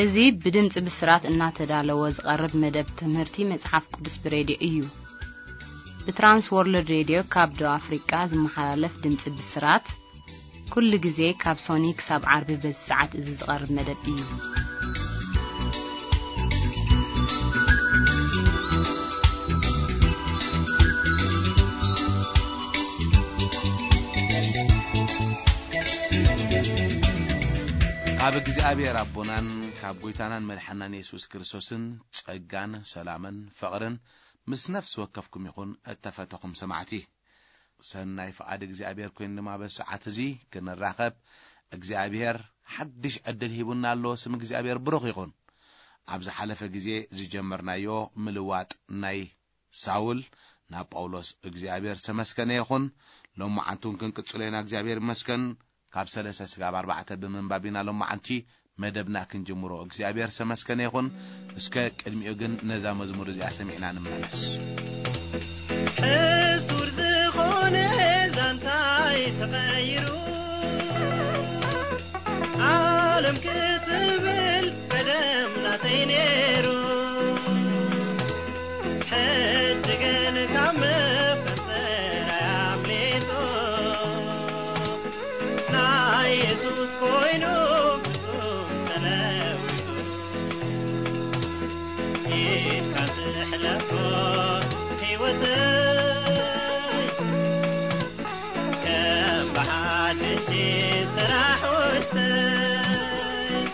እዚ ብድምጺ ብስራት እናተዳለወ ዝቐርብ መደብ ትምህርቲ መጽሓፍ ቅዱስ ብሬድዮ እዩ። ብትራንስ ወርልድ ሬድዮ ካብ ደቡብ ኣፍሪቃ ዝመሓላለፍ ድምጺ ብስራት፣ ኩሉ ግዜ ካብ ሶኒ ክሳብ ዓርቢ በዚ ሰዓት እዚ ዝቐርብ መደብ እዩ። ካብ እግዚኣብሔር ኣቦናን ካብ ጎይታናን መድሓናን የሱስ ክርስቶስን ጸጋን ሰላምን ፍቕርን ምስ ነፍሲ ወከፍኩም ይኹን። እተፈተኹም ሰማዕቲ፣ ሰናይ ፍቓድ እግዚኣብሔር ኮይኑ ድማ በዚ ሰዓት እዚ ክንራኸብ እግዚኣብሔር ሓድሽ ዕድል ሂቡና ኣሎ። ስም እግዚኣብሔር ብሩኽ ይኹን። ኣብ ዝሓለፈ ግዜ ዝጀመርናዮ ምልዋጥ ናይ ሳውል ናብ ጳውሎስ እግዚኣብሔር ዝተመስገነ ይኹን። ሎማዓንቲ እውን ክንቅጽሎ ኢና። እግዚኣብሔር ይመስገን። ካብ ሰለስተ ስጋብ ኣርባዕተ ብምንባብ ኢና ሎማዓንቲ መደብና ክንጅምሮ። እግዚኣብሔር ዝተመስገነ ይኹን። እስከ ቅድሚኡ ግን ነዛ መዝሙር እዚኣ ሰሚዕና ንመለስ። ሕሱር ዝኾነ ዛንታይ ተቐይሩ፣ ዓለም ክትብል ቀደም ናተይ ነይሩ። ሕጂ ግን ካብ መፈንጠራይ ኣምሊጡ፣ ናይ የሱስ ኮይኑ ፍጹም ተለዊጡ። ኢድካ ትሕለፎ ህይወተይ፣ ከም ብሓድሽ ስራሕ ውሽጠይ፣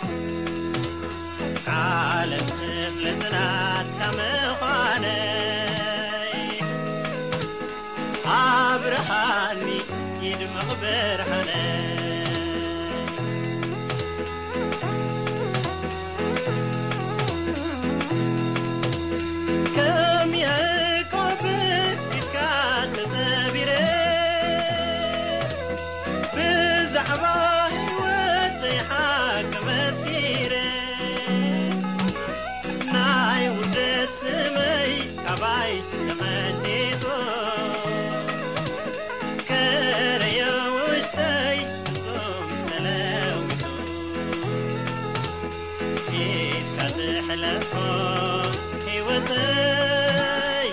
ዓለም ትፍለጥ ናትካ ምዃነይ። ኣብርሃኒ ይድመቕ ብርሃነይ። ከም ያዕቆብ ፊትካ ተሰቢረ፣ ብዛዕባ ህይወተይ ሓቂ መስኪረ፣ ናይ ውርደት ስመይ ካባይ ተቐንጢጡ፣ ከረዮ ውሽጠይ ፍጹም ተለዊጡ። ኢድካ ትሕለፎ ህይወተይ፣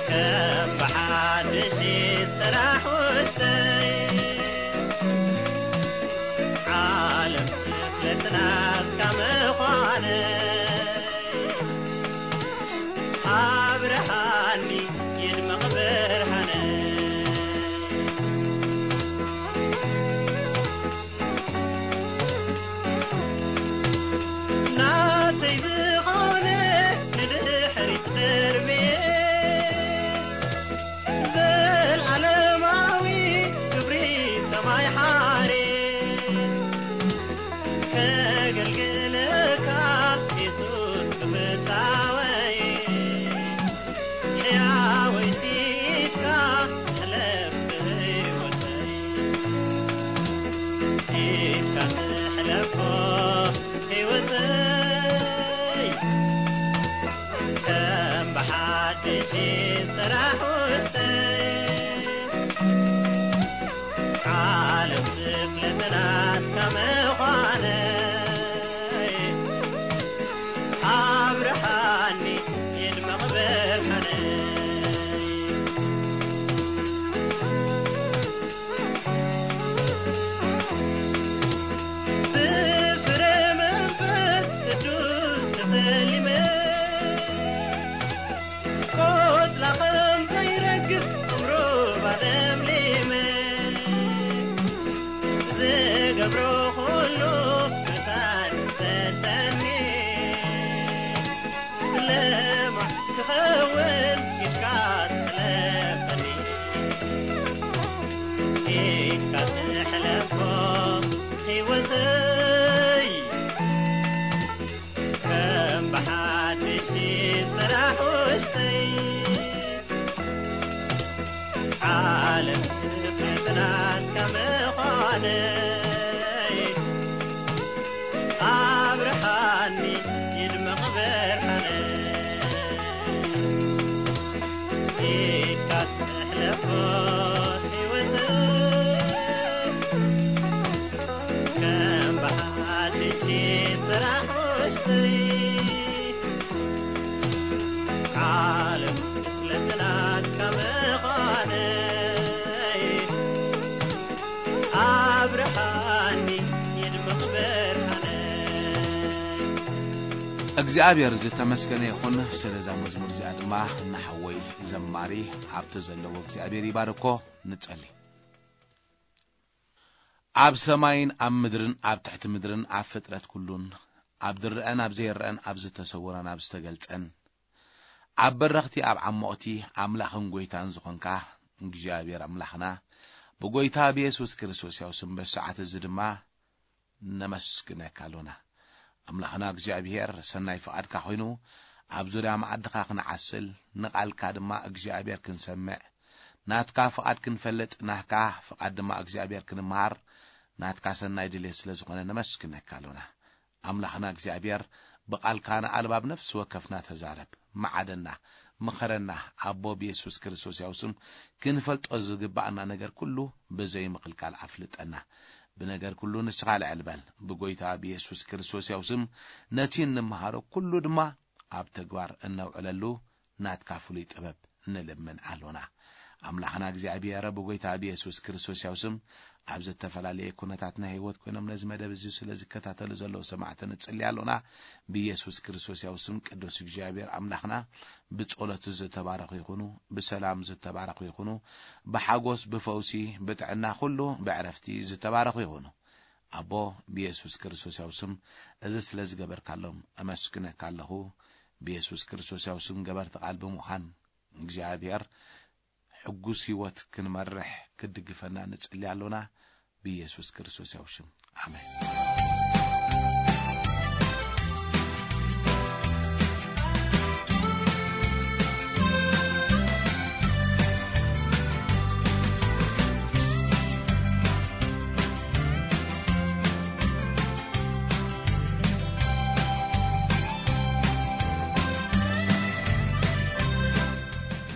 ከም ብሓድሽ ስራሕ ውሽጠይ፣ ዓለም ትፍለጥ ናትካ ምዃነይ። ኣብርሃኒ ይድመቕ ብርሃነይ። ናተይ ዝኾነ ንድሕሪት ደርብየ፣ ዘልኣለማዊ ክብሪ ሰማይ ሓሬ፣ ከገልግለካ የሱስ ክፍታወይ፣ ሕያወይቲ ኢድካ ትሕለፍ ብህይወተይ። ኢድካ ትሕለፎ ህይወተይ፣ ከም ብሓድሽ ስራሕ ውሽጠይ፣ ዓለም ትፍለጥ ናትካ ምዃነይ። ኣብርሃኒ ይድመቕ ብርሃነይ። ብፍረ መንፈስ ቅዱስ ተሰሊመ፣ ቆጽላ ከም ዘይረግፍ ዕምሩባ ለምሊመ፣ ዝገብሮ ኩሉ መታን ይሰልጠኒ። ለማዕ ክኸውን ኢድካ ትሕለፈኒ፣ ኢድካ ትሕለፎ ህይወተይ፣ ከም ብሓድሽ ስራሕ ውሽጠይ፣ ዓለም ትፍለጥ ናትካ ምዃነይ። ኣብርሃኒ ይድመቕ ብርሃነይ። ኢድካ ትሕለፎ ህይወተይ፣ ከም ብሓድሽ እግዚኣብሔር ዝተመስገነ ይኹን። ስለዛ መዝሙር እዚኣ ድማ ንሓወይ ዘማሪ ኣብቲ ዘለዎ እግዚኣብሔር ይባርኮ። ንጸሊ። ኣብ ሰማይን ኣብ ምድርን ኣብ ትሕቲ ምድርን ኣብ ፍጥረት ኩሉን ኣብ ዝረአን ኣብ ዘይረአን ኣብ ዝተሰወረን ኣብ ዝተገልጸን ኣብ በረኽቲ ኣብ ዓሞቕቲ ኣምላኽን ጎይታን ዝኾንካ እግዚኣብሔር ኣምላኽና ብጎይታ ብየሱስ ክርስቶስ ያው ስም በሰዓት እዚ ድማ ነመስግነካ ኣሎና። ኣምላኽና እግዚኣብሔር ሰናይ ፍቓድካ ኮይኑ ኣብ ዙርያ መኣድኻ ክንዓስል ንቓልካ ድማ እግዚኣብሔር ክንሰምዕ ናትካ ፍቓድ ክንፈልጥ ናትካ ፍቓድ ድማ እግዚኣብሔር ክንምሃር ናትካ ሰናይ ድሌት ስለ ዝኾነ ነመስግነካ ኣሎና። ኣምላኽና እግዚኣብሔር ብቓልካ ንኣልባብ ነፍሲ ወከፍና ተዛረብ፣ መዓደና፣ ምኸረና። ኣቦ ብየሱስ ክርስቶስ ያው ስም ክንፈልጦ ዝግባኣና ነገር ኩሉ ብዘይ ምኽልካል ኣፍልጠና። ብነገር ኩሉ ንስኻ ልዕል በል። ብጎይታ ብየሱስ ክርስቶስ ያው ስም ነቲ እንምሃሮ ኩሉ ድማ ኣብ ተግባር እነውዕለሉ ናትካ ፍሉይ ጥበብ ንልምን ኣሎና። ኣምላኽና እግዚኣብሔር ብጎይታ ብየሱስ ክርስቶስ ያው ስም ኣብ ዝተፈላለየ ኩነታት ናይ ህይወት ኮይኖም ነዚ መደብ እዚ ስለ ዝከታተሉ ዘለዉ ሰማዕቲ ንጽሊ ኣሎና። ብየሱስ ክርስቶስ ያው ስም ቅዱስ እግዚኣብሔር ኣምላኽና ብጸሎት ዝተባረኹ ይኹኑ፣ ብሰላም ዝተባረኹ ይኹኑ፣ ብሓጎስ፣ ብፈውሲ፣ ብጥዕና ኩሉ ብዕረፍቲ ዝተባረኹ ይኹኑ። ኣቦ ብየሱስ ክርስቶስ ያው ስም እዚ ስለ ዝገበርካሎም እመስግነካ ኣለኹ። ብየሱስ ክርስቶስ ያው ስም ገበርቲ ቃል ብምዃን እግዚኣብሔር ሕጉስ ህይወት ክንመርሕ ክድግፈና ንጽሊ ኣሎና። ብየሱስ ክርስቶስ ያው ሽም ኣሜን።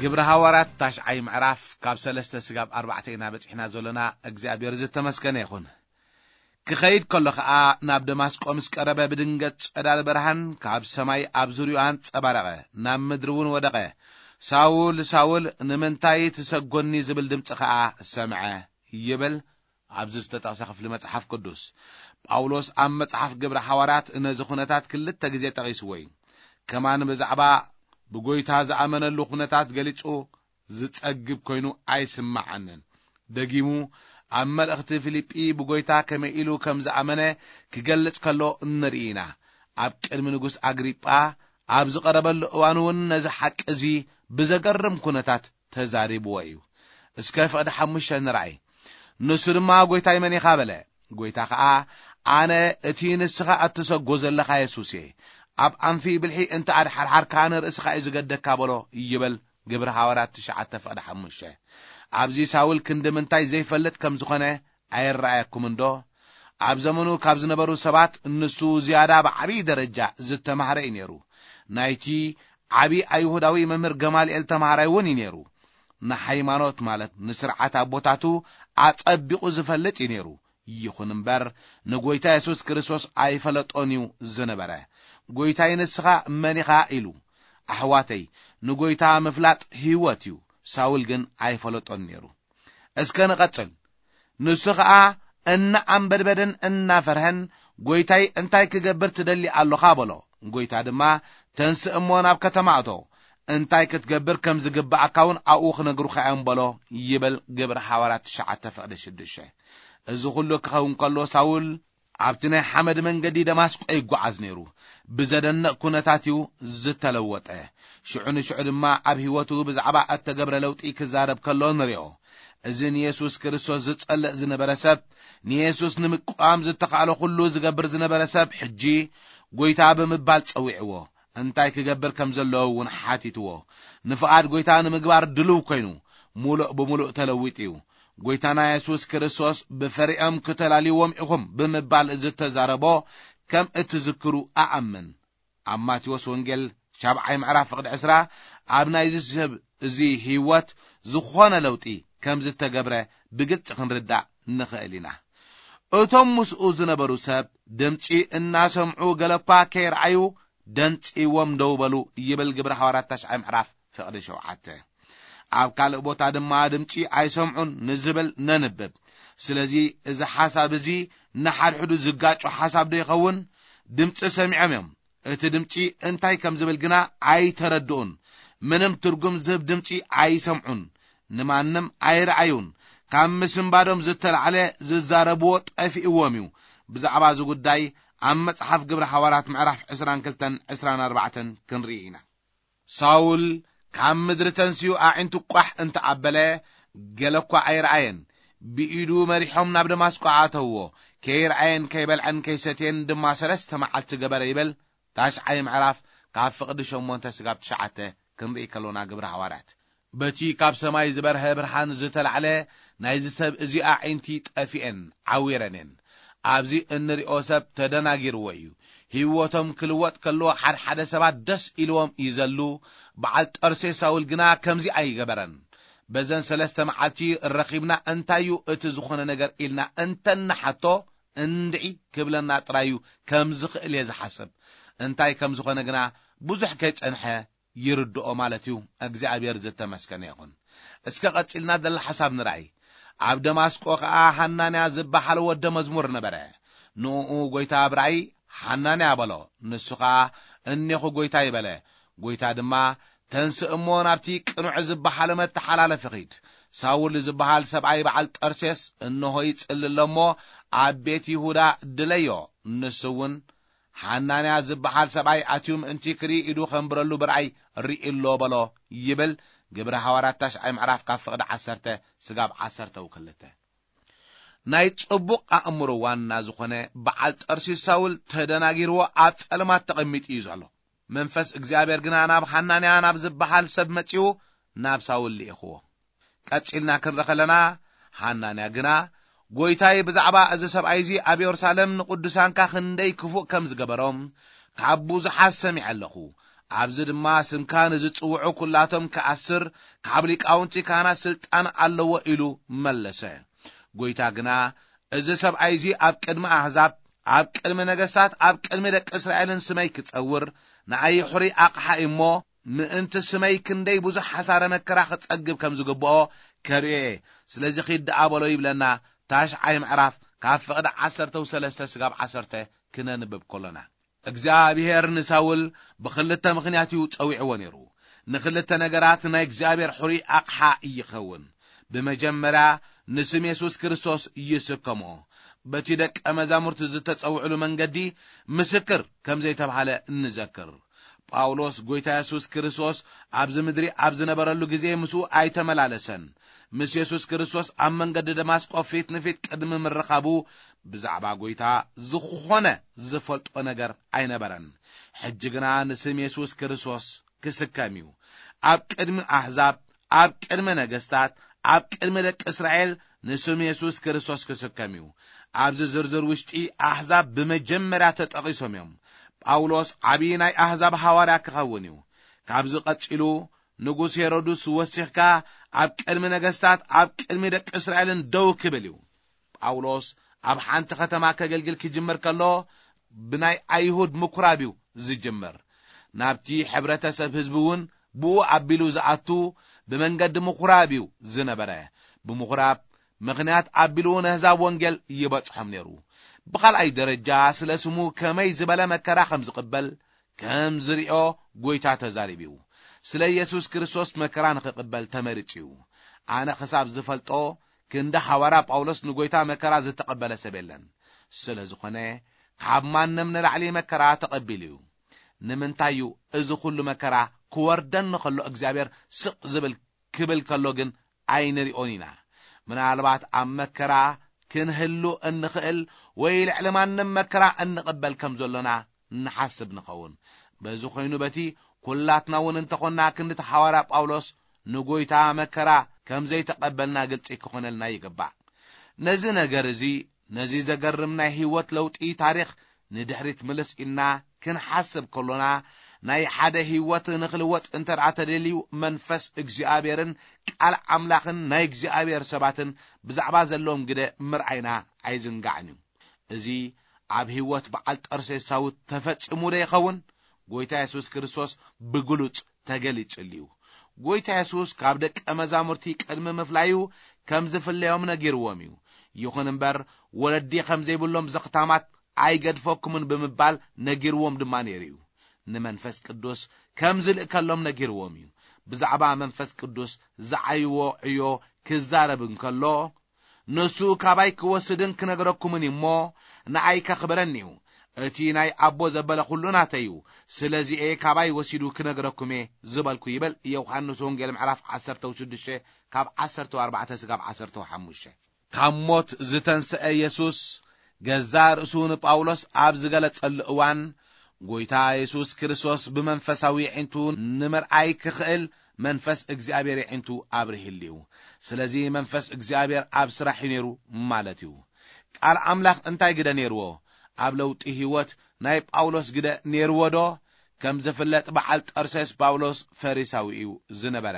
ግብሪ ሃዋርያት ታሽዓይ ምዕራፍ ካብ ሰለስተ ስጋብ ኣርባዕተ ኢና በጺሕና ዘሎና። እግዚኣብሔር ዝተመስገነ ይኹን። ክኸይድ ከሎ ኸኣ ናብ ደማስቆ ምስ ቀረበ ብድንገት ጸዳል ብርሃን ካብ ሰማይ ኣብ ዙርያኡ ኣንጸባረቐ፣ ናብ ምድሪ እውን ወደቐ። ሳውል ሳውል ንምንታይ ትሰጎኒ ዝብል ድምፂ ኸኣ ሰምዐ ይብል። ኣብዚ ዝተጠቕሰ ክፍሊ መጽሓፍ ቅዱስ ጳውሎስ ኣብ መጽሓፍ ግብሪ ሓዋርያት ነዚ ኩነታት ክልተ ግዜ ጠቒስዎ እዩ። ከማን ብዛዕባ ብጎይታ ዝኣመነሉ ኩነታት ገሊጹ ዝጸግብ ኮይኑ ኣይስምዓንን። ደጊሙ ኣብ መልእኽቲ ፊልጲ ብጎይታ ከመይ ኢሉ ከም ዝኣመነ ክገልጽ ከሎ ንርኢ ኢና። ኣብ ቅድሚ ንጉስ ኣግሪጳ ኣብ ዝቐረበሉ እዋን እውን ነዚ ሓቂ እዚ ብዘገርም ኩነታት ተዛሪብዎ እዩ። እስከ ፍቕዲ ሓሙሽተ ንርኣይ። ንሱ ድማ ጎይታይ መን ኢኻ በለ። ጎይታ ኸኣ ኣነ እቲ ንስኻ እትሰጎ ዘለኻ የሱስ እየ። ኣብ ኣንፊ ብልሒ እንተ ኣድሓርሓርካ ንርእስኻ እዩ ዝገደካ በሎ ይብል። ግብሪ ሃዋርያት ትሽዓተ ፍቕዲ ሓሙሽተ። ኣብዚ ሳውል ክንዲ ምንታይ ዘይፈልጥ ከም ዝኾነ ኣይረኣየኩም እንዶ? ኣብ ዘመኑ ካብ ዝነበሩ ሰባት ንሱ ዝያዳ ብዓብዪ ደረጃ ዝተማህረ እዩ ነይሩ። ናይቲ ዓብዪ ኣይሁዳዊ መምህር ገማልኤል ተማሃራይ እውን እዩ ነይሩ። ንሃይማኖት ማለት ንስርዓት ኣቦታቱ ኣጸቢቑ ዝፈልጥ እዩ ነይሩ። ይኹን እምበር ንጎይታ የሱስ ክርስቶስ ኣይፈለጦን እዩ ዝነበረ። ጎይታይ ንስኻ መን ኢኻ ኢሉ። ኣሕዋተይ፣ ንጎይታ ምፍላጥ ህይወት እዩ። ሳውል ግን ኣይፈለጦን ነይሩ። እስከ ንቐጽል። ንሱ ኸኣ እናኣንበድበደን እናፈርሀን፣ ጎይታይ እንታይ ክገብር ትደሊ ኣሎኻ በሎ። ጎይታ ድማ ተንስእ እሞ ናብ ከተማ እቶ፣ እንታይ ክትገብር ከም ዝግብኣካ እውን ኣብኡ ክነግሩኻ እዮም በሎ ይብል ግብሪ ሓዋርያት ትሽዓተ ፍቕዲ ሽዱሽተ። እዚ ኹሉ ክኸውን ከሎ ሳውል ኣብቲ ናይ ሓመድ መንገዲ ደማስቆ ይጓዓዝ ነይሩ። ብዘደንቕ ኩነታት እዩ ዝተለወጠ። ሽዑ ንሽዑ ድማ ኣብ ህይወቱ ብዛዕባ እተገብረ ለውጢ ክዛረብ ከሎ ንሪኦ። እዚ ንየሱስ ክርስቶስ ዝጸልእ ዝነበረ ሰብ፣ ንየሱስ ንምቅዋም ዝተኻእሎ ኩሉ ዝገብር ዝነበረ ሰብ ሕጂ ጎይታ ብምባል ጸዊዕዎ። እንታይ ክገብር ከም ዘለዎ እውን ሓቲትዎ። ንፍቓድ ጎይታ ንምግባር ድሉው ኮይኑ፣ ሙሉእ ብምሉእ ተለዊጡ እዩ። ጎይታና የሱስ ክርስቶስ ብፈሪኦም ክተላልይዎም ኢኹም ብምባል ዝተዛረቦ ከም እትዝክሩ እኣምን። ኣብ ማቴዎስ ወንጌል ሻብዓይ ምዕራፍ ፍቕዲ ዕስራ ኣብ ናይዚ ሰብ እዚ ህይወት ዝኾነ ለውጢ ከም ዝተገብረ ብግልጺ ክንርዳእ ንኽእል ኢና። እቶም ምስኡ ዝነበሩ ሰብ ድምጺ እናሰምዑ ገለኳ ከይረኣዩ ደንጺዎም ደው በሉ ይብል ግብሪ ሃዋርያት ታሽዓይ ምዕራፍ ፍቕዲ ሸውዓተ። ኣብ ካልእ ቦታ ድማ ድምጺ ኣይሰምዑን ንዝብል ነንብብ። ስለዚ እዚ ሓሳብ እዚ ንሓድሕዱ ዝጋጮ ሓሳብ ዶ ይኸውን? ድምጺ ሰሚዖም እዮም፣ እቲ ድምጺ እንታይ ከም ዝብል ግና ኣይተረድኡን። ምንም ትርጉም ዝህብ ድምጺ ኣይሰምዑን። ንማንም ኣይረኣዩን። ካብ ምስንባዶም ዝተላዕለ ዝዛረብዎ ጠፊእዎም እዩ። ብዛዕባ እዚ ጉዳይ ኣብ መጽሓፍ ግብሪ ሓዋርያት ምዕራፍ ዕስራን ክልተን ዕስራን ኣርባዕተን ክንርኢ ኢና። ሳውል ካብ ምድሪ ተንስኡ ኣዒንቱ ቋሕ እንተ ኣበለ፣ ገለ እኳ ኣይረኣየን። ብኢዱ መሪሖም ናብ ደማስቆ ኣእተውዎ። ከይረኣየን ከይበልዐን ከይሰትየን ድማ ሰለስተ መዓልቲ ገበረ ይብል። ታሽዓይ ምዕራፍ ካብ ፍቕዲ ሸሞንተ ስጋብ ትሽዓተ ክንርኢ ከሎና ግብሪ ሃዋርያት። በቲ ካብ ሰማይ ዝበርሀ ብርሃን ዝተላዕለ ናይዚ ሰብ እዚ ኣዒንቲ ጠፊኤን ዓዊረን እየን። ኣብዚ እንሪኦ ሰብ ተደናጊርዎ እዩ። ህይወቶም ክልወጥ ከሎ ሓድሓደ ሰባት ደስ ኢልዎም ይዘሉ። በዓል ጠርሴ ሳውል ግና ከምዚ ኣይገበረን። በዘን ሰለስተ መዓልቲ ረኺብና እንታይ እዩ እቲ ዝኾነ ነገር ኢልና እንተንሓቶ እንድዒ ክብለና ጥራይ እዩ ከም ዝኽእል እየ ዝሓስብ። እንታይ ከም ዝኾነ ግና ብዙሕ ከይጸንሐ ይርድኦ ማለት እዩ። እግዚኣብሔር ዝተመስገነ ይኹን። እስከ ቀጺልና ዘላ ሓሳብ ንርኣይ። ኣብ ደማስቆ ኸኣ ሃናንያ ዝበሃል ወደ መዝሙር ነበረ። ንእኡ ጐይታ ኣብ ራእይ፣ "ሃናንያ" በሎ። ንሱ ኸኣ፣ "እኔኹ ጐይታይ" በለ። ጐይታ ድማ፣ "ተንስእ እሞ ናብቲ ቅኑዕ ዝበሃል መተሓላለፊ ኺድ። ሳውል ዝበሃል ሰብኣይ በዓል ጠርሴስ እንሆ ይጽሊ ኣሎ እሞ፣ ኣብ ቤት ይሁዳ ድለዮ። ንሱ እውን ሓናንያ ዝበሃል ሰብኣይ ኣትዩ ምእንቲ ክርኢ ኢዱ ኸንብረሉ ብራእይ ርኢ ኣሎ በሎ" ይብል ግብሪ ሃዋርያት ታሽዓይ ምዕራፍ ካብ ፍቕዲ ዓሰርተ ስጋብ ዓሰርተ ክልተ። ናይ ጽቡቕ ኣእምሮ ዋና ዝኾነ በዓል ጠርሲስ ሳውል ተደናጊርዎ ኣብ ጸልማት ተቐሚጡ እዩ ዘሎ። መንፈስ እግዚኣብሔር ግና ናብ ሓናንያ ናብ ዝበሃል ሰብ መጺኡ ናብ ሳውል ልኢኽዎ። ቀጺልና ክንርኢ ከለና፣ ሓናንያ ግና፣ "ጐይታይ፣ ብዛዕባ እዚ ሰብኣይ እዚ ኣብ የሩሳሌም ንቕዱሳንካ ክንደይ ክፉእ ከም ዝገበሮም፣ ካብ ብዙሓት ሰሚዐ ኣለኹ። ኣብዚ ድማ ስምካ ንዝጽውዑ ኲላቶም ክኣስር፣ ካብ ሊቃውንቲ ካህናት ስልጣን ኣለዎ" ኢሉ መለሰ። ጐይታ ግና፣ "እዚ ሰብኣይ እዚ ኣብ ቅድሚ ኣህዛብ፣ ኣብ ቅድሚ ነገስታት፣ ኣብ ቅድሚ ደቂ እስራኤልን ስመይ ክጸውር፣ ንኣይ ሕሩይ ኣቕሓ እዩ እሞ፣ ምእንቲ ስመይ ክንደይ ብዙሕ ሓሳረ መከራ ክጸግብ ከም ዝግብኦ ከርእዮ እየ። ስለዚ ኺድ ደኣ በሎ" ይብለና። ታሽዓይ ምዕራፍ ካብ ፍቕዲ ዓሰርተ ሰለስተ ስጋብ ዓሰርተ ክነንብብ ከሎና፣ እግዚኣብሔር ንሳውል ብኽልተ ምኽንያት እዩ ጸዊዕዎ ነይሩ። ንኽልተ ነገራት ናይ እግዚኣብሔር ሕሩይ ኣቕሓ ይኸውን። ብመጀመርያ፣ ንስም የሱስ ክርስቶስ ይስከሞ። በቲ ደቀ መዛሙርቲ ዝተጸውዕሉ መንገዲ ምስክር ከም ዘይተባህለ እንዘክር። ጳውሎስ ጐይታ የሱስ ክርስቶስ ኣብዚ ምድሪ ኣብ ዝነበረሉ ግዜ ምስኡ ኣይተመላለሰን። ምስ የሱስ ክርስቶስ ኣብ መንገዲ ደማስቆ ፊት ንፊት ቅድሚ ምርኻቡ ብዛዕባ ጐይታ ዝኾነ ዝፈልጦ ነገር ኣይነበረን። ሕጂ ግና ንስም የሱስ ክርስቶስ ክስከም እዩ። ኣብ ቅድሚ ኣህዛብ፣ ኣብ ቅድሚ ነገስታት፣ ኣብ ቅድሚ ደቂ እስራኤል ንስም የሱስ ክርስቶስ ክስከም እዩ። ኣብዚ ዝርዝር ውሽጢ ኣህዛብ ብመጀመርያ ተጠቒሶም እዮም። ጳውሎስ ዓብዪ ናይ ኣህዛብ ሃዋርያ ክኸውን እዩ። ካብዚ ቀጺሉ ንጉስ ሄሮድስ ወሲኽካ ኣብ ቅድሚ ነገስታት፣ ኣብ ቅድሚ ደቂ እስራኤልን ደው ክብል እዩ። ጳውሎስ ኣብ ሓንቲ ከተማ ከገልግል ክጅምር ከሎ ብናይ ኣይሁድ ምኩራብ እዩ ዝጅምር። ናብቲ ሕብረተሰብ ህዝቢ እውን ብኡ ኣቢሉ ዝኣቱ ብመንገዲ ምኩራብ እዩ ዝነበረ። ብምኩራብ ምኽንያት ኣቢሉ ነህዛብ ወንጌል ይበጽሖም ነይሩ። ብኻልኣይ ደረጃ ስለ ስሙ ከመይ ዝበለ መከራ ከም ዝቕበል ከም ዝሪኦ ጐይታ ተዛሪቡ እዩ። ስለ ኢየሱስ ክርስቶስ መከራ ንኽቕበል ተመሪጹ እዩ። ኣነ ክሳብ ዝፈልጦ ክንዲ ሓዋርያ ጳውሎስ ንጐይታ መከራ ዝተቐበለ ሰብ የለን። ስለ ዝኾነ ካብ ማንም ንላዕሊ መከራ ተቐቢሉ እዩ። ንምንታይ እዩ እዚ ኹሉ መከራ ክወርደኒ ኸሎ እግዚኣብሔር ስቕ ዝብል ክብል ከሎ ግን ኣይንሪኦን ኢና። ምናልባት ኣብ መከራ ክንህሉ እንኽእል ወይ ልዕሊ ማንም መከራ እንቕበል ከም ዘሎና ንሓስብ ንኸውን። በዚ ኾይኑ በቲ ኩላትና እውን እንተኾንና ክንዲ እቲ ሓዋርያ ጳውሎስ ንጎይታ መከራ ከም ዘይተቐበልና ግልጺ ክኾነልና ይግባእ። ነዚ ነገር እዚ፣ ነዚ ዘገርም ናይ ህይወት ለውጢ ታሪኽ ንድሕሪት ምልስ ኢልና ክንሓስብ ከሎና፣ ናይ ሓደ ህይወት ንኽልወጥ እንተ ደኣ ተደልዩ መንፈስ እግዚኣብሔርን ቃል ኣምላኽን ናይ እግዚኣብሔር ሰባትን ብዛዕባ ዘለዎም ግደ ምርኣይና ኣይዝንጋዕን እዩ። እዚ ኣብ ህይወት በዓል ጠርሴስ ሳውል ተፈጺሙ ዶ ይኸውን? ጎይታ የሱስ ክርስቶስ ብግሉጽ ተገሊጹሉ እዩ። ጎይታ የሱስ ካብ ደቀ መዛሙርቲ ቅድሚ ምፍላዩ ከም ዝፍለዮም ነጊርዎም እዩ። ይኹን እምበር ወለዲ ከም ዘይብሎም ዘኽታማት ኣይገድፈኩምን ብምባል ነጊርዎም ድማ ነይሩ እዩ። ንመንፈስ ቅዱስ ከም ዝልእከሎም ነጊርዎም እዩ። ብዛዕባ መንፈስ ቅዱስ ዝዓይዎ ዕዮ ክዛረብ እንከሎ፣ ንሱ ካባይ ክወስድን ክነግረኩምን እዩ እሞ፣ ንኣይ ከኽብረኒ እዩ። እቲ ናይ ኣቦ ዘበለ ኩሉ ናተይ እዩ። ስለዚኤ ካባይ ወሲዱ ክነግረኩም እየ ዝበልኩ፣ ይብል ዮሃንስ ወንጌል ምዕራፍ ዓሰርተ ሽዱሽተ ካብ ዓሰርተ ኣርባዕተ ስጋብ ዓሰርተ ሓሙሽተ። ካብ ሞት ዝተንስአ የሱስ ገዛ ርእሱ ንጳውሎስ ኣብ ዝገለጸሉ እዋን፣ ጎይታ የሱስ ክርስቶስ ብመንፈሳዊ የዒንቱ ንምርኣይ ክኽእል መንፈስ እግዚኣብሔር የዒንቱ ኣብርሂሉ እዩ። ስለዚ መንፈስ እግዚኣብሔር ኣብ ስራሕ እዩ ነይሩ ማለት እዩ። ቃል ኣምላኽ እንታይ ግደ ነይርዎ? ኣብ ለውጢ ህይወት ናይ ጳውሎስ ግደ ነይርዎ ዶ? ከም ዝፍለጥ በዓል ጠርሴስ ጳውሎስ ፈሪሳዊ እዩ ዝነበረ።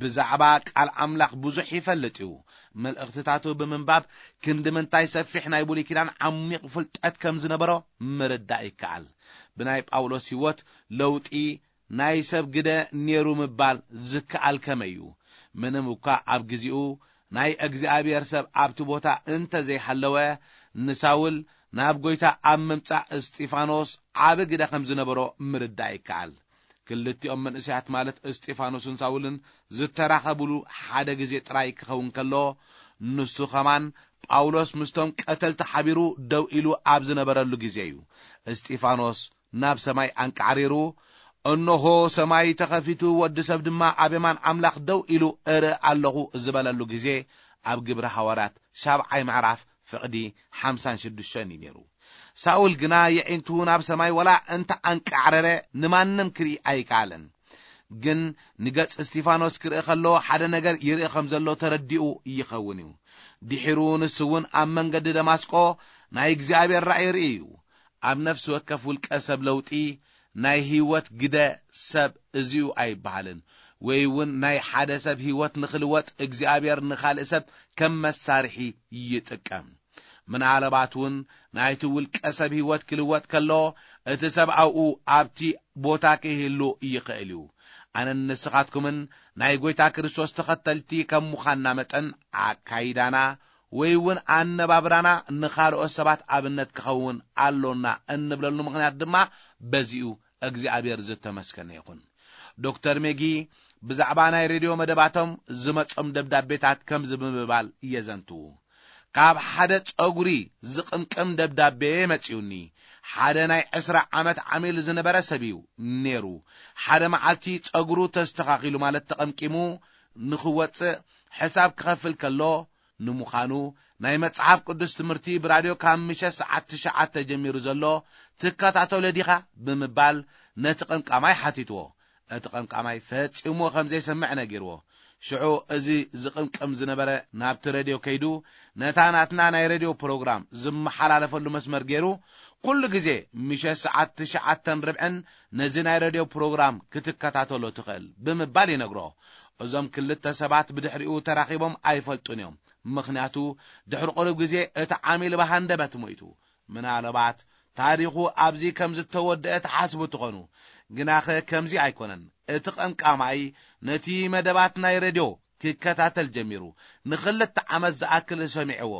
ብዛዕባ ቃል ኣምላኽ ብዙሕ ይፈልጥ እዩ። መልእኽትታቱ ብምንባብ ክንዲ ምንታይ ሰፊሕ ናይ ብሉይ ኪዳን ዓሚቕ ፍልጠት ከም ዝነበሮ ምርዳእ ይከኣል። ብናይ ጳውሎስ ህይወት ለውጢ ናይ ሰብ ግደ ነይሩ ምባል ዝከኣል ከመይ እዩ? ምንም እኳ ኣብ ግዜኡ ናይ እግዚኣብሔር ሰብ ኣብቲ ቦታ እንተ ዘይሃለወ፣ ንሳውል ናብ ጎይታ ኣብ ምምጻእ እስጢፋኖስ ዓቢ ግደ ከም ዝነበሮ ምርዳእ ይከኣል። ክልቲኦም መንእሰያት ማለት እስጢፋኖስን ሳውልን ዝተራኸቡሉ ሓደ ግዜ ጥራይ ክኸውን ከሎ፣ ንሱ ኸማን ጳውሎስ ምስቶም ቀተልቲ ሓቢሩ ደው ኢሉ ኣብ ዝነበረሉ ግዜ እዩ። እስጢፋኖስ ናብ ሰማይ ኣንቃዕሪሩ፣ "እንሆ ሰማይ ተኸፊቱ፣ ወዲ ሰብ ድማ ኣብ የማን ኣምላኽ ደው ኢሉ እርኢ ኣለኹ" ዝበለሉ ግዜ፣ ኣብ ግብሪ ሃዋርያት ሻብዓይ ምዕራፍ ፍቕዲ ሓምሳን ሽዱሽተን እዩ ነይሩ። ሳውል ግና የዒንቱ ናብ ሰማይ ወላ እንተ ኣንቃዕረረ ንማንም ክርኢ ኣይከኣለን። ግን ንገጽ እስጢፋኖስ ክርኢ ከሎ ሓደ ነገር ይርኢ ከም ዘሎ ተረዲኡ ይኸውን እዩ። ድሒሩ ንሱ እውን ኣብ መንገዲ ደማስቆ ናይ እግዚኣብሔር ራእይ ርኢ እዩ። ኣብ ነፍሲ ወከፍ ውልቀ ሰብ ለውጢ ናይ ህይወት ግደ ሰብ እዚኡ ኣይበሃልን። ወይ እውን ናይ ሓደ ሰብ ህይወት ንኽልወጥ እግዚኣብሔር ንኻልእ ሰብ ከም መሳርሒ ይጥቀም። ምናልባት እውን ናይቲ ውልቀ ሰብ ህይወት ክልወጥ ከሎ እቲ ሰብ ኣብኡ ኣብቲ ቦታ ክህሉ ይኽእል እዩ። ኣነን ንስኻትኩምን ናይ ጎይታ ክርስቶስ ተኸተልቲ ከም ምዃንና መጠን ኣካይዳና ወይ እውን ኣነባብራና ንኻልኦት ሰባት ኣብነት ክኸውን ኣሎና እንብለሉ ምኽንያት ድማ በዚኡ እግዚኣብሔር ዝተመስገነ ይኹን። ዶክተር ሜጊ ብዛዕባ ናይ ሬድዮ መደባቶም ዝመጾም ደብዳቤታት ከምዚ ብምባል የዘንትዉ። ካብ ሓደ ጸጉሪ ዝቕምቅም ደብዳቤ መጺኡኒ። ሓደ ናይ ዕስራ ዓመት ዓሚል ዝነበረ ሰብ እዩ ነይሩ። ሓደ መዓልቲ ጸጉሩ ተስተኻኺሉ ማለት ተቐምቂሙ ንኽወጽእ ሕሳብ ክኸፍል ከሎ፣ ንምዃኑ ናይ መጽሓፍ ቅዱስ ትምህርቲ ብራድዮ ካብ ምሸት ሰዓት ትሽዓተ ጀሚሩ ዘሎ ትከታተሎ ዲኻ? ብምባል ነቲ ቀምቃማይ ሓቲትዎ። እቲ ቀምቃማይ ፈጺሙ ከም ዘይሰምዕ ነጊርዎ። ሽዑ እዚ ዝቕምቅም ዝነበረ ናብቲ ሬድዮ ከይዱ ነታ ናትና ናይ ሬድዮ ፕሮግራም ዝመሓላለፈሉ መስመር ገይሩ፣ "ኩሉ ግዜ ምሸት ሰዓት ትሽዓተን ርብዕን ነዚ ናይ ሬድዮ ፕሮግራም ክትከታተሎ ትኽእል" ብምባል ይነግሮ። እዞም ክልተ ሰባት ብድሕሪኡ ተራኺቦም ኣይፈልጡን እዮም። ምኽንያቱ ድሕሪ ቁሩብ ግዜ እቲ ዓሚል ብሃንደበት ሞይቱ። ምናልባት ታሪኹ ኣብዚ ከም ዝተወደአ ትሓስቡ ትኾኑ። ግናኸ ከምዚ ኣይኮነን። እቲ ቀምቃማይ ነቲ መደባት ናይ ሬድዮ ክከታተል ጀሚሩ። ንኽልተ ዓመት ዝኣክል ሰሚዕዎ።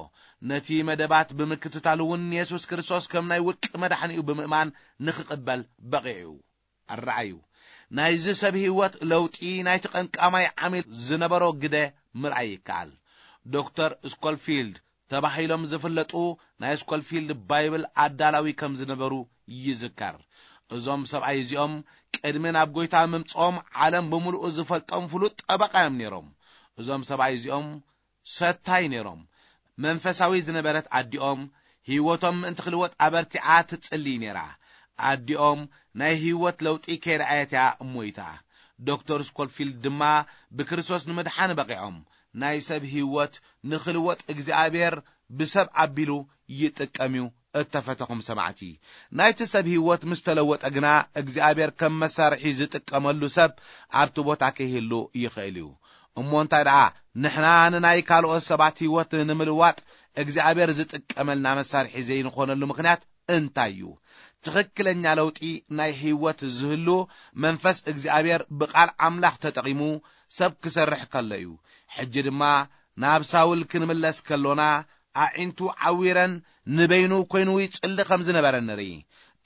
ነቲ መደባት ብምክትታል እውን ንየሱስ ክርስቶስ ከም ናይ ውልቂ መድሓኒኡ ብምእማን ንኽቕበል በቒዑ። ኣረኣዩ። ናይዚ ሰብ ህይወት ለውጢ ናይቲ ቀምቃማይ ዓሚል ዝነበሮ ግደ ምርኣይ ይከኣል። ዶክተር ስኮልፊልድ ተባሂሎም ዝፍለጡ ናይ ስኮልፊልድ ባይብል ኣዳላዊ ከም ዝነበሩ ይዝከር። እዞም ሰብኣይ እዚኦም ቅድሚ ናብ ጎይታ ምምጽኦም ዓለም ብምሉኡ ዝፈልጦም ፍሉጥ ጠበቃ እዮም ነይሮም። እዞም ሰብኣይ እዚኦም ሰታይ ነይሮም። መንፈሳዊ ዝነበረት ኣዲኦም ህይወቶም ምእንቲ ክልወጥ ኣበርቲዓ ትጽልይ ነይራ። ኣዲኦም ናይ ህይወት ለውጢ ከይረኣየት እያ ሞይታ። ዶክተር ስኮልፊልድ ድማ ብክርስቶስ ንምድሓን በቒዖም። ናይ ሰብ ህይወት ንኽልወጥ እግዚኣብሔር ብሰብ ኣቢሉ ይጥቀም እዩ። እተፈተኹም ሰማዕቲ፣ ናይቲ ሰብ ህይወት ምስ ተለወጠ ግና እግዚኣብሔር ከም መሳርሒ ዝጥቀመሉ ሰብ ኣብቲ ቦታ ከይህሉ ይኽእል እዩ። እሞ እንታይ ደኣ ንሕና ንናይ ካልኦት ሰባት ህይወት ንምልዋጥ እግዚኣብሔር ዝጥቀመልና መሳርሒ ዘይንኾነሉ ምኽንያት እንታይ እዩ? ትኽክለኛ ለውጢ ናይ ህይወት ዝህሉ መንፈስ እግዚኣብሔር ብቃል ኣምላኽ ተጠቒሙ ሰብ ክሰርሕ ከሎ እዩ። ሕጂ ድማ ናብ ሳውል ክንምለስ ከሎና ኣዒንቱ ዓዊረን ንበይኑ ኮይኑ ይጽሊ ከም ዝነበረ ንርኢ።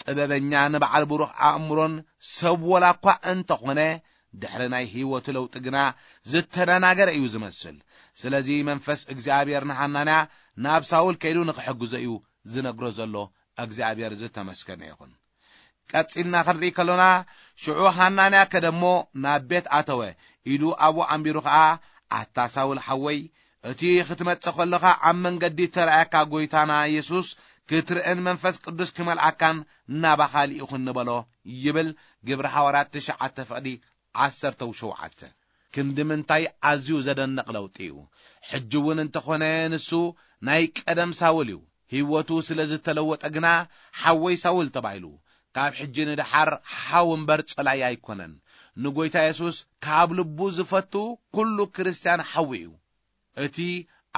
ጥበበኛ፣ ንበዓል ብሩኽ ኣእምሮን ሰብ ወላ እኳ እንተኾነ፣ ድሕሪ ናይ ህይወቱ ለውጢ ግና ዝተደናገረ እዩ ዝመስል። ስለዚ መንፈስ እግዚኣብሔር ንሃናንያ ናብ ሳውል ከይዱ ንኽሕግዞ እዩ ዝነግሮ ዘሎ። እግዚኣብሔር ዝተመስገነ ይኹን። ቀጺልና ክንርኢ ከሎና፣ ሽዑ ሃናንያ ከደሞ ናብ ቤት ኣተወ። ኢዱ ኣብኡ ኣንቢሩ ኸኣ፣ ኣታ ሳውል ሓወይ፣ እቲ ክትመጽእ ከለኻ ኣብ መንገዲ እተራእየካ ጐይታና የሱስ ክትርእን መንፈስ ቅዱስ ክመልኣካን ናባኻ ልኢኹኒ በሎ ይብል። ግብሪ ሃዋርያት ትሽዓተ ፍቕዲ ዓሰርተ ሸውዓተ። ክንዲ ምንታይ ኣዝዩ ዘደንቕ ለውጢ እዩ! ሕጂ እውን እንተኾነ ንሱ ናይ ቀደም ሳውል እዩ። ህይወቱ ስለ ዝተለወጠ ግና ሓወይ ሳውል ተባሂሉ። ካብ ሕጂ ንደሓር ሓው እምበር ጸላኢ ኣይኮነን። ንጐይታ የሱስ ካብ ልቡ ዝፈቱ ኩሉ ክርስትያን ሓው እዩ። እቲ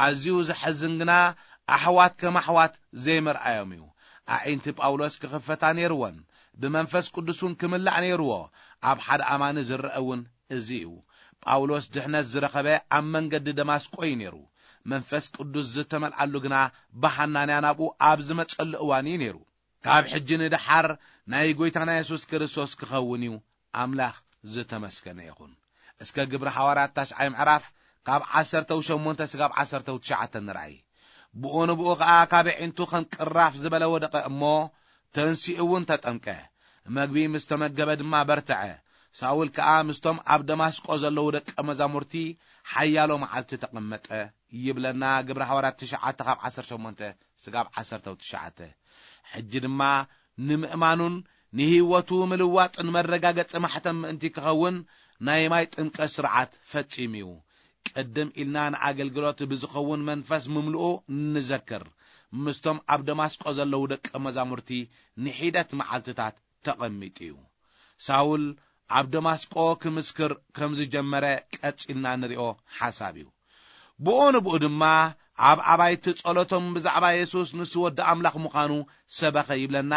ኣዝዩ ዘሐዝን ግና ኣሕዋት ከም ኣሕዋት ዘይምርኣዮም እዩ። ኣዒንቲ ጳውሎስ ክኽፈታ ነይርወን፣ ብመንፈስ ቅዱስ እውን ክምላእ ነይርዎ። ኣብ ሓደ ኣማኒ ዝረአ እውን እዚ እዩ። ጳውሎስ ድሕነት ዝረኸበ ኣብ መንገዲ ደማስቆ እዩ ነይሩ። መንፈስ ቅዱስ ዝተመልኣሉ ግና ብሃናንያ ናብኡ ኣብ ዝመጸሉ እዋን እዩ ነይሩ። ካብ ሕጂ ንደሓር ናይ ጐይታና የሱስ ክርስቶስ ክኸውን እዩ። ኣምላኽ ዝተመስገነ ይኹን። እስከ ግብሪ ሃዋርያት ታሽዓይ ምዕራፍ ካብ ዓሰርተ ሸሞንተ ስጋብ ዓሰርተ ትሽዓተ ንርኣይ። ብኡ ንብኡ ኸኣ ካብ ኣዒንቱ ከም ቅራፍ ዝበለ ወደቐ እሞ፣ ተንሲኡ እውን ተጠምቀ። መግቢ ምስ ተመገበ ድማ በርትዐ። ሳውል ከኣ ምስቶም ኣብ ደማስቆ ዘለዉ ደቀ መዛሙርቲ ሓያሎ መዓልቲ ተቐመጠ ይብለና ግብሪ ሃዋርያት ትሽዓተ ካብ ዓሰርተ ሸሞንተ ስጋብ ዓሰርተ ትሽዓተ። ሕጂ ድማ ንምእማኑን ንህይወቱ ምልዋጥን መረጋገጺ ማሕተም ምእንቲ ክኸውን ናይ ማይ ጥምቀት ስርዓት ፈጺሙ እዩ። ቅድም ኢልና ንኣገልግሎት ብዝኸውን መንፈስ ምምልኡ ንዘክር። ምስቶም ኣብ ደማስቆ ዘለዉ ደቀ መዛሙርቲ ንሒደት መዓልትታት ተቐሚጡ እዩ። ሳውል ኣብ ደማስቆ ክምስክር ከም ዝጀመረ ቀጺልና ንሪኦ ሓሳብ እዩ። ብኡ ንብኡ ድማ ኣብ ኣባይቲ ጸሎቶም ብዛዕባ የሱስ ንሱ ወዲ ኣምላኽ ምዃኑ ሰበኸ ይብለና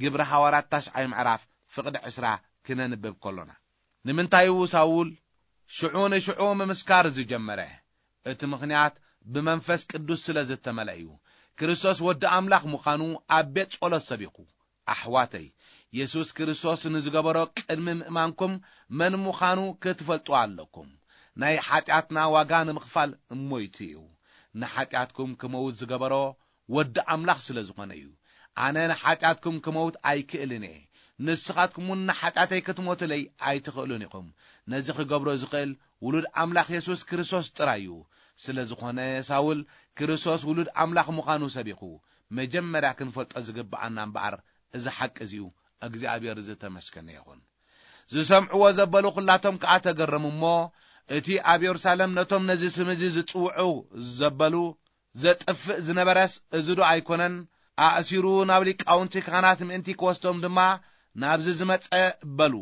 ግብሪ ሃዋርያት ታሽዓይ ምዕራፍ ፍቕዲ ዕስራ ክነንብብ ከሎና። ንምንታይ እዩ ሳውል ሽዑ ንሽዑ ምምስካር ዝጀመረ? እቲ ምኽንያት ብመንፈስ ቅዱስ ስለ ዝተመልአ እዩ። ክርስቶስ ወዲ ኣምላኽ ምዃኑ ኣብ ቤት ጸሎት ሰቢኹ። ኣሕዋተይ፣ የሱስ ክርስቶስ ንዝገበሮ ቅድሚ ምእማንኩም መን ምዃኑ ክትፈልጡ ኣለኩም። ናይ ሓጢኣትና ዋጋ ንምኽፋል ሞይቱ እዩ። ንሓጢኣትኩም ክመውት ዝገበሮ ወዲ ኣምላኽ ስለ ዝኾነ እዩ። ኣነ ንሓጢኣትኩም ክመውት ኣይክእልን እየ። ንስኻትኩም እውን ንሓጢኣተይ ክትሞቱለይ ኣይትኽእሉን ኢኹም። ነዚ ክገብሮ ዝኽእል ውሉድ ኣምላኽ የሱስ ክርስቶስ ጥራይ እዩ። ስለ ዝኾነ ሳውል ክርስቶስ ውሉድ ኣምላኽ ምዃኑ ሰቢኹ። መጀመርያ ክንፈልጦ ዝግብኣና እምበኣር እዚ ሓቂ እዚ እዩ። እግዚኣብሔር ዝተመስገነ ይኹን። ዝሰምዕዎ ዘበሉ ኹላቶም ከኣ ተገረሙ እሞ፣ እቲ ኣብ የሩሳሌም ነቶም ነዚ ስም እዚ ዝጽውዑ ዘበሉ ዘጥፍእ ዝነበረስ እዚ ዶ ኣይኮነን? ኣእሲሩ ናብ ሊቃውንቲ ካህናት ምእንቲ ክወስዶም ድማ ናብዚ ዝመጸ በሉ።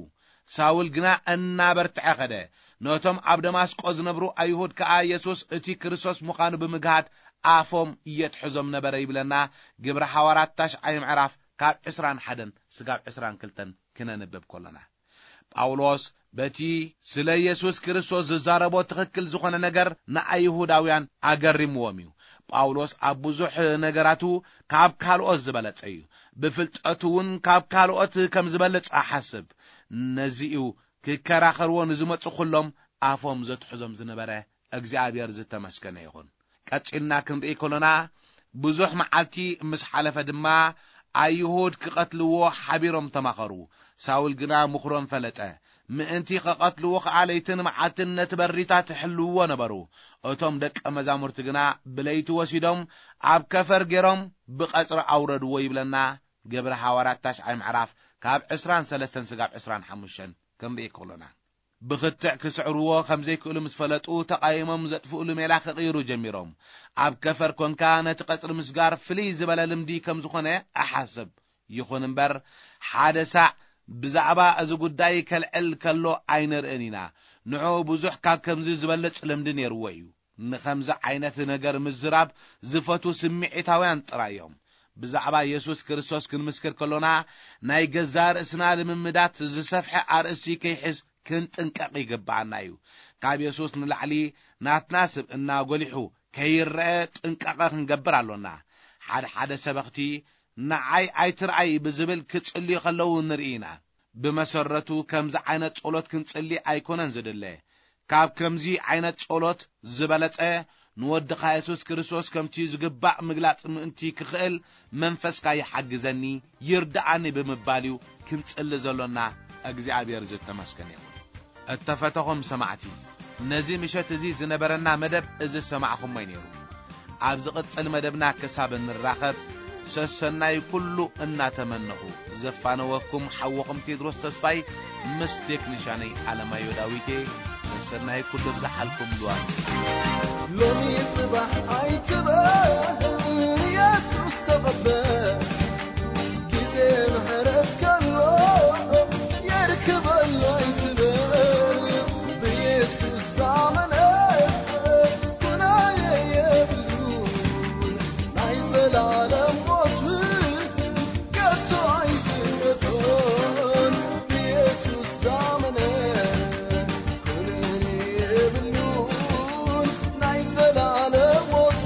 ሳውል ግና እናበርትዐ ኸደ። ነቶም ኣብ ደማስቆ ዝነብሩ ኣይሁድ ከኣ የሱስ እቲ ክርስቶስ ምዃኑ ብምግሃድ ኣፎም የትሕዞም ነበረ ይብለና ግብሪ ሃዋርያት ታሽዓይ ምዕራፍ ካብ ዕስራን ሓደን ስጋብ ዕስራን ክልተን ክነንብብ ከሎና። ጳውሎስ በቲ ስለ የሱስ ክርስቶስ ዝዛረቦ ትኽክል ዝኾነ ነገር ንኣይሁዳውያን ኣገሪምዎም እዩ። ጳውሎስ ኣብ ብዙሕ ነገራቱ ካብ ካልኦት ዝበለጸ እዩ። ብፍልጠቱ እውን ካብ ካልኦት ከም ዝበልጽ እሓስብ። ነዚ እዩ ክከራኸርዎ ንዝመጹ ኹሎም ኣፎም ዘትሕዞም ዝነበረ። እግዚኣብሔር ዝተመስገነ ይኹን። ቀጺልና ክንርኢ ከሎና፣ ብዙሕ መዓልቲ ምስ ሓለፈ ድማ ኣይሁድ ክቐትልዎ ሓቢሮም ተማኸሩ። ሳውል ግና ምኽሮም ፈለጠ። ምእንቲ ክቐትልዎ ኸኣ ለይትን መዓልትን ነቲ በሪታት ይሕልውዎ ነበሩ። እቶም ደቀ መዛሙርቲ ግና ብለይቲ ወሲዶም ኣብ ከፈር ገይሮም ብቐጽሪ ኣውረድዎ ይብለና ግብሪ ሃዋርያት ታሽዓይ ምዕራፍ ካብ ዕስራን ሰለስተን ስጋብ ዕስራን ሓሙሽተን ክንርኢ ከሎና። ብኽትዕ ክስዕርዎ ከም ዘይክእሉ ምስ ፈለጡ፣ ተቓይሞም ዘጥፍእሉ ሜላ ክቕይሩ ጀሚሮም። ኣብ ከፈር ኮንካ ነቲ ቀጽሪ ምስጋር ፍልይ ዝበለ ልምዲ ከም ዝኾነ እሓስብ። ይኹን እምበር፣ ሓደ ሳዕ ብዛዕባ እዚ ጉዳይ ከልዕል ከሎ ኣይንርእን ኢና። ንዕኡ ብዙሕ ካብ ከምዚ ዝበልጽ ልምዲ ነይርዎ እዩ። ንኸምዚ ዓይነት ነገር ምዝራብ ዝፈቱ ስምዒታውያን ጥራይ እዮም። ብዛዕባ የሱስ ክርስቶስ ክንምስክር ከሎና፣ ናይ ገዛእ ርእስና ልምምዳት ዝሰፍሐ ኣርእስቲ ከይሕዝ ክንጥንቀቕ ይግብኣና እዩ። ካብ የሱስ ንላዕሊ ናትና ስብእና ጎሊሑ ከይረአ ጥንቃቐ ክንገብር ኣሎና። ሓደ ሓደ ሰበኽቲ ንዓይ ኣይትርኣይ ብዝብል ክጽልዩ ከለዉ ንርኢ ኢና። ብመሰረቱ ከምዚ ዓይነት ጸሎት ክንጽሊ ኣይኮነን ዝድለ። ካብ ከምዚ ዓይነት ጸሎት ዝበለጸ ንወድኻ የሱስ ክርስቶስ ከምቲ ዝግባእ ምግላጽ ምእንቲ ክኽእል መንፈስካ ይሓግዘኒ፣ ይርድኣኒ ብምባል እዩ ክንጽሊ ዘሎና። እግዚኣብሔር ዝተመስገነ ይኹን። እተፈተኹም ሰማዕቲ፣ ነዚ ምሸት እዚ ዝነበረና መደብ እዚ ዝሰማዕኹሞ እዩ ነይሩ። ኣብ ዝቕጽል መደብና ክሳብ እንራኸብ፣ ሰሰናይ ኩሉ እናተመነኹ፣ ዘፋነወኩም ሓወኹም ቴድሮስ ተስፋይ ምስ ቴክኒሻነይ ኣለማዮ ዳዊቴ፣ ሰሰናይ ኩሉ ብዝሓልኩም ልዋም። ሎሚ ጽባሕ ኣይትበል፣ የሱስ ተቐበል። ግዜ ምሕረት ከሎ የርክበሉ ኣይትበል። ብየሱስ ዝኣመነ ኩነኔ የብሉን። ናይ ዘላለም ሞት ከቶ ኣይፍረዶን። ብየሱስ ዝኣመነ ኩነኔ የብሉን። ናይ ዘላለም ሞት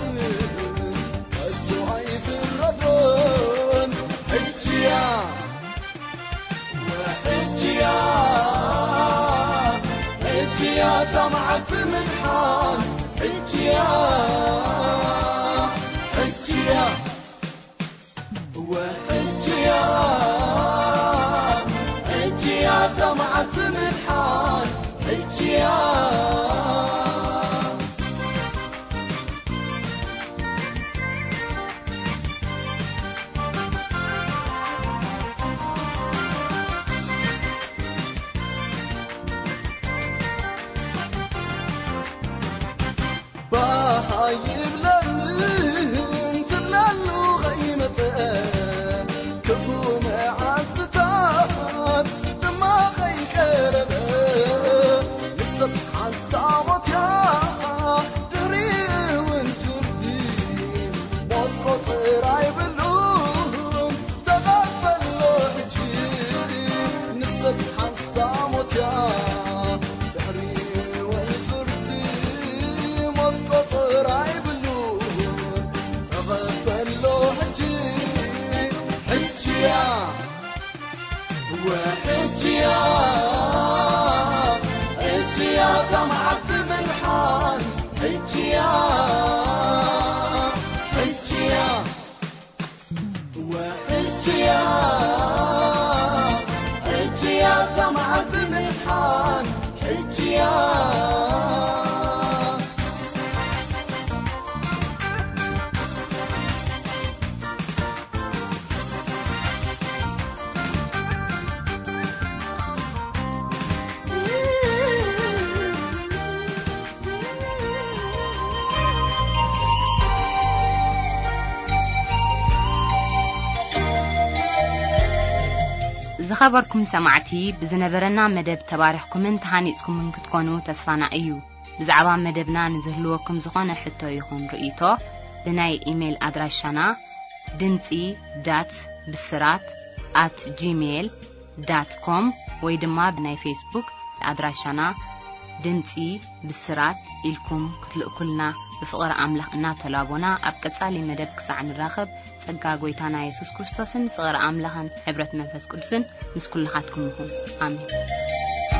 ከቶ ኣይፍረዶን። ሕጂ እያ፣ ሕጂ እያ፣ ሕጂ እያ እታ መዓልቲ ምድሓን። ሕጂ እያ፣ ሕጂ እያ፣ ሕጂ እያ፣ ሕጂ እያ እታ መዓልቲ ምድሓን። ሕጂ እያ። ባህ ኣይብለንን ትብለሉ ከይመጸ፣ ክፉ መዓልትታት ድማ ከይቀረበ፣ ንሰብ ሓንሳብ ሞት እያ፣ ድሕሪኡ እውን ፍርዲ። ሞት ቁጽር ኣይብሉን፣ ተቐበሎ ሕጂ። ንሰብ ሓንሳብ ሞት እያ፣ ድሕሪኡ እውን ፍርዲ። ሞት ቁጽር ኣይብሉን፣ ተቐበሎ ሕጂ። ሕጂ እያ። ወሕጂ እያ፣ ሕጂ እያ እታ መዓልቲ ምድሓን፣ ሕጂ እያ፣ ሕጂ እያ፣ ወሕጂ እያ፣ ሕጂ እያ እታ መዓልቲ ምድሓን፣ ሕጂ እያ። ዝኸበርኩም ሰማዕቲ፣ ብዝነበረና መደብ ተባሪኽኩምን ተሃኒጽኩምን ክትኮኑ ተስፋና እዩ። ብዛዕባ መደብና ንዝህልወኩም ዝኾነ ሕቶ ይኹን ርእይቶ፣ ብናይ ኢሜይል ኣድራሻና ድምጺ ዳት ብስራት ኣት ጂሜይል ዳት ኮም ወይ ድማ ብናይ ፌስቡክ ኣድራሻና ድምጺ ብስራት ኢልኩም ክትልእኩልና ብፍቕሪ ኣምላኽ እናተላቦና፣ ኣብ ቀጻሊ መደብ ክሳዕ ንራኸብ፣ ጸጋ ጐይታና የሱስ ክርስቶስን ፍቕሪ ኣምላኽን ሕብረት መንፈስ ቅዱስን ምስ ኩልኻትኩም ይኹን። ኣሜን።